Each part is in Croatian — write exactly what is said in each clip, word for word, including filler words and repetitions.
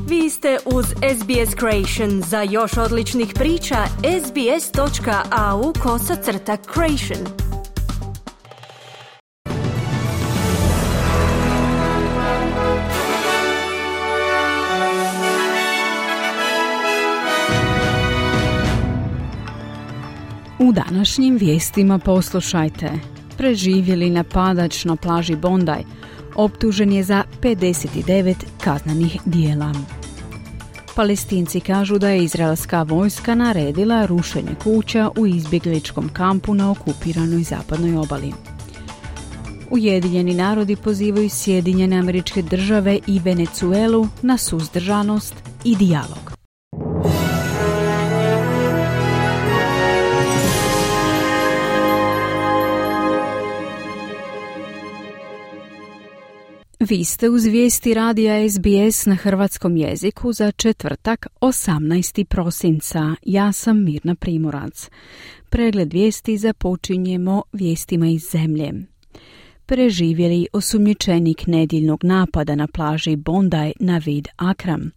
Vi ste uz S B S Creation. Za još odličnih priča, sbs.au kosacrta creation. U današnjim vijestima poslušajte. Preživjeli napadač na plaži Bondi optužen je za pedeset devet kaznenih djela. Palestinci kažu da je izraelska vojska naredila rušenje kuća u izbjegličkom kampu na okupiranoj zapadnoj obali. Ujedinjeni narodi pozivaju Sjedinjene Američke Države i Venezuelu na suzdržanost i dijalog. Vi ste uz vijesti radija S B S na hrvatskom jeziku za četvrtak osamnaestog prosinca. Ja sam Mirna Primorac. Pregled vijesti započinjemo vijestima iz zemlje. Preživjeli osumnjičenik nedjeljnog napada na plaži Bondi Navid Akram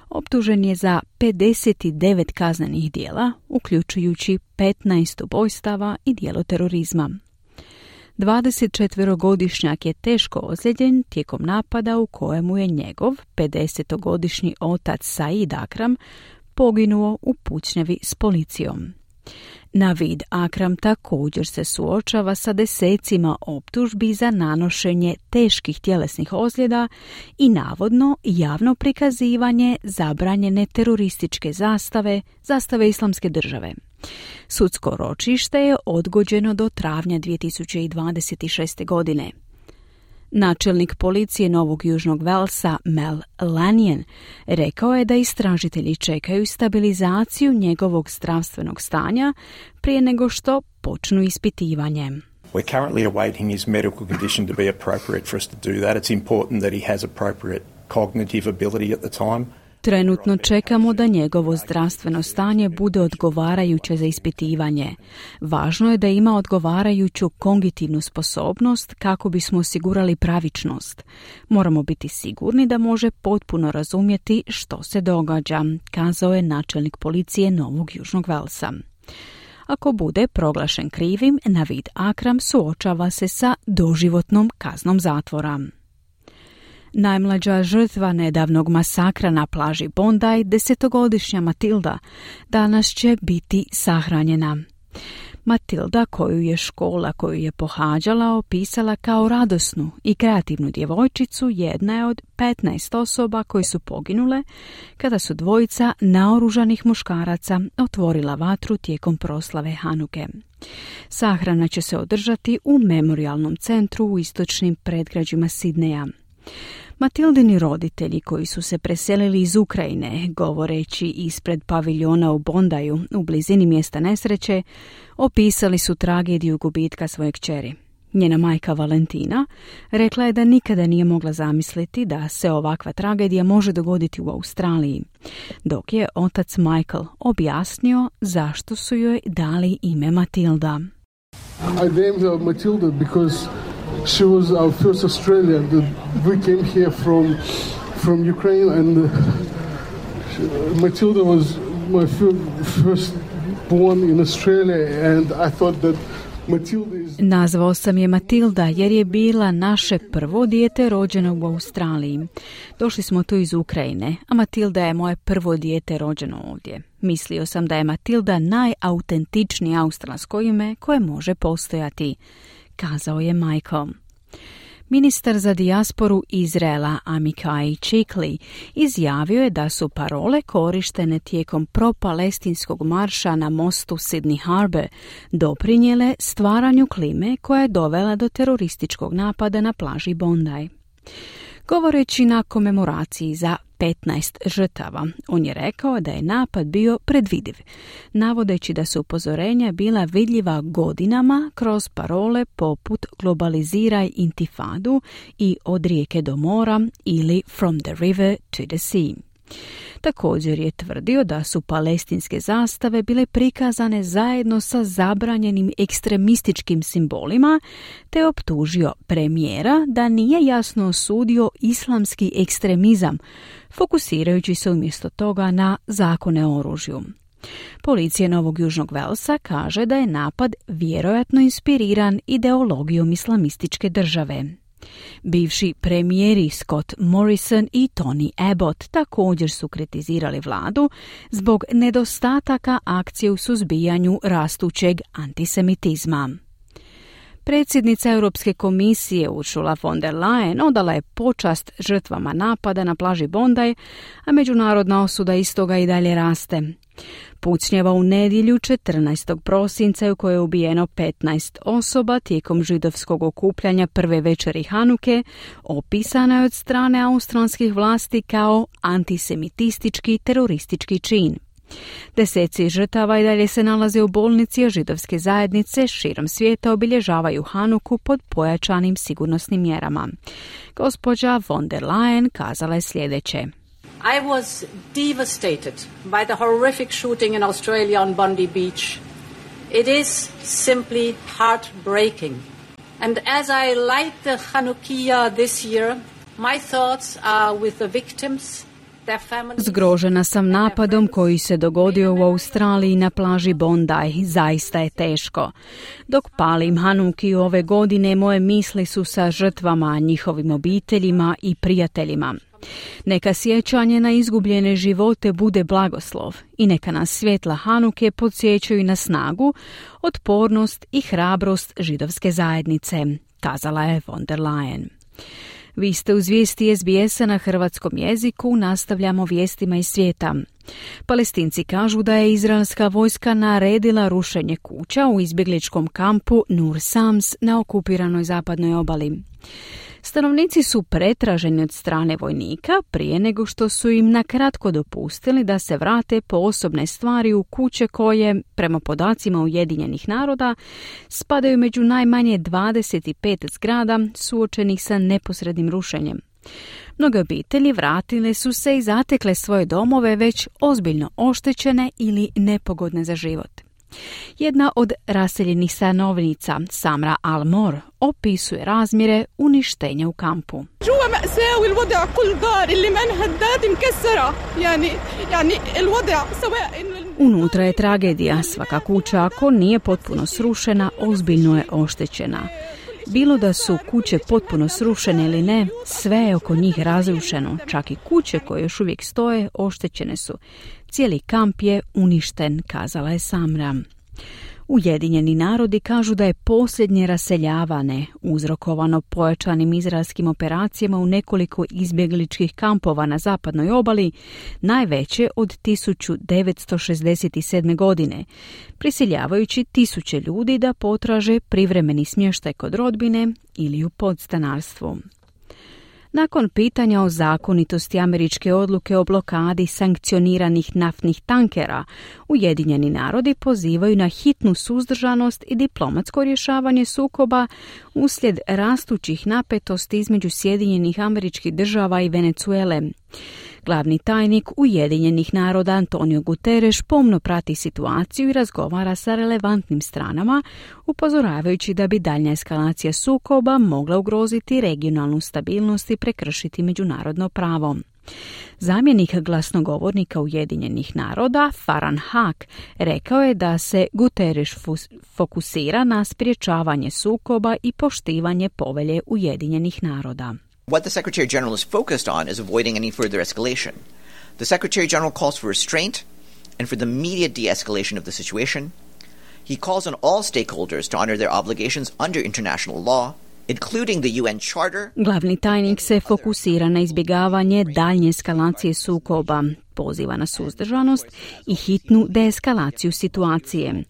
optužen je za pedeset devet kaznenih djela, uključujući petnaest ubojstava i djelo terorizma. dvadesetčetverogodišnjak je teško ozlijeđen tijekom napada u kojemu je njegov pedesetogodišnji otac Said Akram poginuo u pucnjavi s policijom. Navid Akram također se suočava sa desecima optužbi za nanošenje teških tjelesnih ozljeda i navodno javno prikazivanje zabranjene terorističke zastave, zastave Islamske države. Sudsko ročište je odgođeno do travnja dvije tisuće dvadeset šeste. godine. Načelnik policije Novog Južnog Velsa Mel Lanyon rekao je da istražitelji čekaju stabilizaciju njegovog zdravstvenog stanja prije nego što počnu ispitivanje. We're currently awaiting his medical condition to be appropriate for us to do that. It's important that he has appropriate cognitive ability at the time. Trenutno čekamo da njegovo zdravstveno stanje bude odgovarajuće za ispitivanje. Važno je da ima odgovarajuću kognitivnu sposobnost kako bismo osigurali pravičnost. Moramo biti sigurni da može potpuno razumjeti što se događa, kazao je načelnik policije Novog Južnog Velsa. Ako bude proglašen krivim, Navid Akram suočava se sa doživotnom kaznom zatvora. Najmlađa žrtva nedavnog masakra na plaži Bondi, desetogodišnja Matilda, danas će biti sahranjena. Matilda, koju je škola koju je pohađala opisala kao radosnu i kreativnu djevojčicu, jedna je od petnaest osoba koji su poginule kada su dvojica naoružanih muškaraca otvorila vatru tijekom proslave Hanuke. Sahrana će se održati u memorijalnom centru u istočnim predgrađima Sidneja. Matildini roditelji koji su se preselili iz Ukrajine, govoreći ispred paviljona u Bondiju u blizini mjesta nesreće, opisali su tragediju gubitka svoje kćeri. Njena majka Valentina rekla je da nikada nije mogla zamisliti da se ovakva tragedija može dogoditi u Australiji, dok je otac Michael objasnio zašto su joj dali ime Matilda. I named her Matilda because she was our first Australian. We came here from from Ukraine, and uh, Matilda was my first born in Australia, and I thought that Matilda is... Nazvao sam je Matilda jer je bila naše prvo dijete rođeno u Australiji. Došli smo tu iz Ukrajine, a Matilda je moje prvo dijete rođeno ovdje. Mislio sam da je Matilda najautentičnije australsko ime koje može postojati, kazao je Michael. Ministar za dijasporu Izraela Amichai Chikli izjavio je da su parole korištene tijekom pro-palestinskog marša na mostu Sydney Harbour doprinijele stvaranju klime koja je dovela do terorističkog napada na plaži Bondi. Govoreći na komemoraciji za petnaest žrtava, on je rekao da je napad bio predvidiv, navodeći da su upozorenja bila vidljiva godinama kroz parole poput globaliziraj intifadu i od rijeke do mora ili from the river to the sea. Također je tvrdio da su palestinske zastave bile prikazane zajedno sa zabranjenim ekstremističkim simbolima, te optužio premijera da nije jasno osudio islamski ekstremizam, fokusirajući se umjesto toga na zakone o oružju. Policija Novog Južnog Velsa kaže da je napad vjerojatno inspiriran ideologijom islamističke države. Bivši premijeri Scott Morrison i Tony Abbott također su kritizirali vladu zbog nedostataka akcije u suzbijanju rastućeg antisemitizma. Predsjednica Europske komisije Ursula von der Leyen odala je počast žrtvama napada na plaži Bondi, a međunarodna osuda istoga i dalje raste. Pucnjava u nedjelju četrnaestog prosinca u kojoj je ubijeno petnaest osoba tijekom židovskog okupljanja prve večeri Hanuke, opisana je od strane australskih vlasti kao antisemitistički teroristički čin. Deseci žrtava i dalje se nalaze u bolnici, a židovske zajednice širom svijeta obilježavaju Hanuku pod pojačanim sigurnosnim mjerama. Gospođa von der Leyen kazala je sljedeće. I was devastated by the horrific shooting in Australia on Bondi Beach. It is simply heartbreaking. And as I light the Hanukkah this year, my thoughts are with the victims. Zgrožena sam napadom koji se dogodio u Australiji na plaži Bondi. Zaista je teško. Dok palim Hanukiju ove godine, moje misli su sa žrtvama, njihovim obiteljima i prijateljima. Neka sjećanje na izgubljene živote bude blagoslov i neka nas svjetla Hanuke podsjećaju na snagu, otpornost i hrabrost židovske zajednice, kazala je von der Leyen. Vi ste uz vijesti S B S-a na hrvatskom jeziku, nastavljamo vijestima iz svijeta. Palestinci kažu da je izraelska vojska naredila rušenje kuća u izbjegličkom kampu Nur Sams na okupiranoj zapadnoj obali. Stanovnici su pretraženi od strane vojnika prije nego što su im nakratko dopustili da se vrate po osobne stvari u kuće koje, prema podacima Ujedinjenih naroda, spadaju među najmanje dvadeset pet zgrada suočenih sa neposrednim rušenjem. Mnoge obitelji vratile su se i zatekle svoje domove već ozbiljno oštećene ili nepogodne za život. Jedna od raseljenih stanovnica, Samra Al-Mor, opisuje razmjere uništenja u kampu. Unutra je tragedija. Svaka kuća, ako nije potpuno srušena, ozbiljno je oštećena. Bilo da su kuće potpuno srušene ili ne, sve je oko njih razrušeno. Čak i kuće koje još uvijek stoje oštećene su. Cijeli kamp je uništen, kazala je Samra. Ujedinjeni narodi kažu da je posljednje raseljavane uzrokovano pojačanim izraelskim operacijama u nekoliko izbjegličkih kampova na zapadnoj obali, najveće od tisuću devetsto šezdeset sedme. godine, prisiljavajući tisuće ljudi da potraže privremeni smještaj kod rodbine ili u podstanarstvu. Nakon pitanja o zakonitosti američke odluke o blokadi sankcioniranih naftnih tankera, Ujedinjeni narodi pozivaju na hitnu suzdržanost i diplomatsko rješavanje sukoba uslijed rastućih napetosti između Sjedinjenih Američkih Država i Venezuele. Glavni tajnik Ujedinjenih naroda Antonio Guterres pomno prati situaciju i razgovara sa relevantnim stranama, upozoravajući da bi daljnja eskalacija sukoba mogla ugroziti regionalnu stabilnost i prekršiti međunarodno pravo. Zamjenik glasnogovornika Ujedinjenih naroda, Farhan Haq, rekao je da se Guterres fokusira na sprječavanje sukoba i poštivanje povelje Ujedinjenih naroda. What the Secretary General is focused on is avoiding any further escalation. The Secretary General calls for restraint and for the immediate de-escalation of the situation. He calls on all stakeholders to honor their obligations under international law, including the U N Charter. Glavni tajnik se fokusira na izbjegavanje daljnje eskalacije sukoba, poziva na suzdržanost i hitnu deeskalaciju situacije.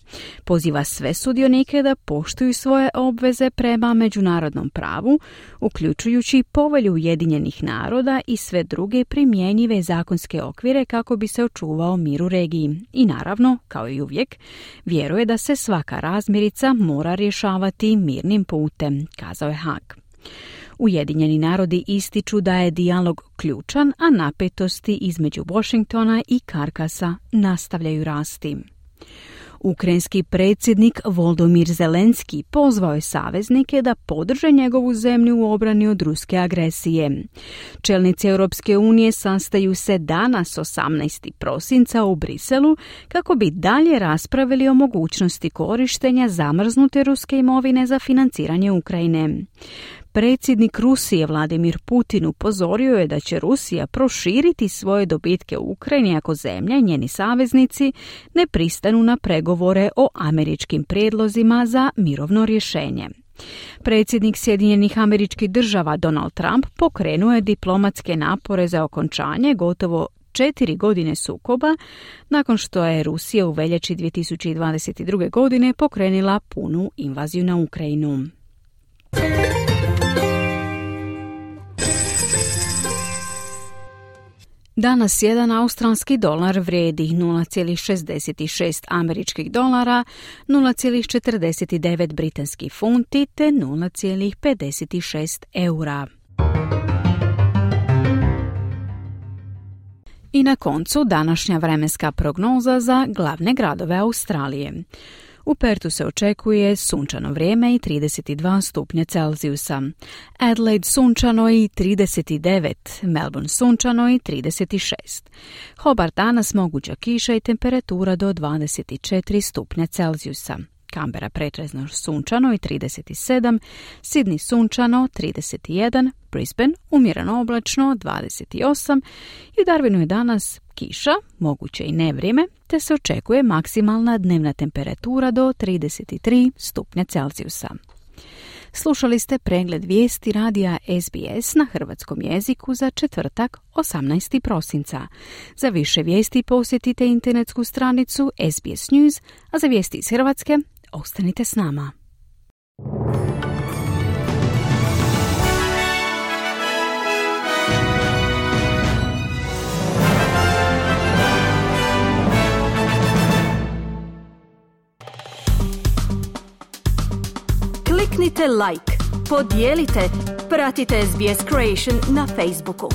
Poziva sve sudionike da poštuju svoje obveze prema međunarodnom pravu, uključujući povelju Ujedinjenih naroda i sve druge primjenjive zakonske okvire kako bi se očuvao mir u regiji. I naravno, kao i uvijek, vjeruje da se svaka razmirica mora rješavati mirnim putem, kazao je Haag. Ujedinjeni narodi ističu da je dijalog ključan, a napetosti između Washingtona i Karkasa nastavljaju rasti. Ukrajinski predsjednik Volodymyr Zelenski pozvao je saveznike da podrže njegovu zemlju u obrani od ruske agresije. Čelnici Europske unije sastaju se danas osamnaestog prosinca u Briselu kako bi dalje raspravili o mogućnosti korištenja zamrznute ruske imovine za financiranje Ukrajine. Predsjednik Rusije Vladimir Putin upozorio je da će Rusija proširiti svoje dobitke u Ukrajini ako zemlja i njeni saveznici ne pristanu na pregovore o američkim prijedlozima za mirovno rješenje. Predsjednik Sjedinjenih Američkih Država Donald Trump pokrenuo je diplomatske napore za okončanje gotovo četiri godine sukoba nakon što je Rusija u veljači dvije tisuće dvadeset druge. godine pokrenila punu invaziju na Ukrajinu. Danas jedan australski dolar vrijedi nula zarez šezdeset šest američkih dolara, nula zarez četrdeset devet britanskih funti te nula zarez pedeset šest eura. I na koncu današnja vremenska prognoza za glavne gradove Australije. U Pertu se očekuje sunčano vrijeme i trideset dva stupnja Celzijusa. Adelaide sunčano i trideset devet, Melbourne sunčano i trideset šest. Hobart danas moguća kiša i temperatura do dvadeset četiri stupnja Celzijusa. Canberra pretežno sunčano i trideset sedam, Sydney sunčano trideset jedan, Brisbane umjereno oblačno dvadeset osam i u Darwinu je danas kiša, moguće i nevrijeme, te se očekuje maksimalna dnevna temperatura do trideset tri stupnja Celzijusa. Slušali ste pregled vijesti radija S B S na hrvatskom jeziku za četvrtak osamnaestog prosinca. Za više vijesti posjetite internetsku stranicu S B S News, a za vijesti iz Hrvatske ostanite s nama. Kliknite like, podijelite, pratite S B S Creation na Facebooku.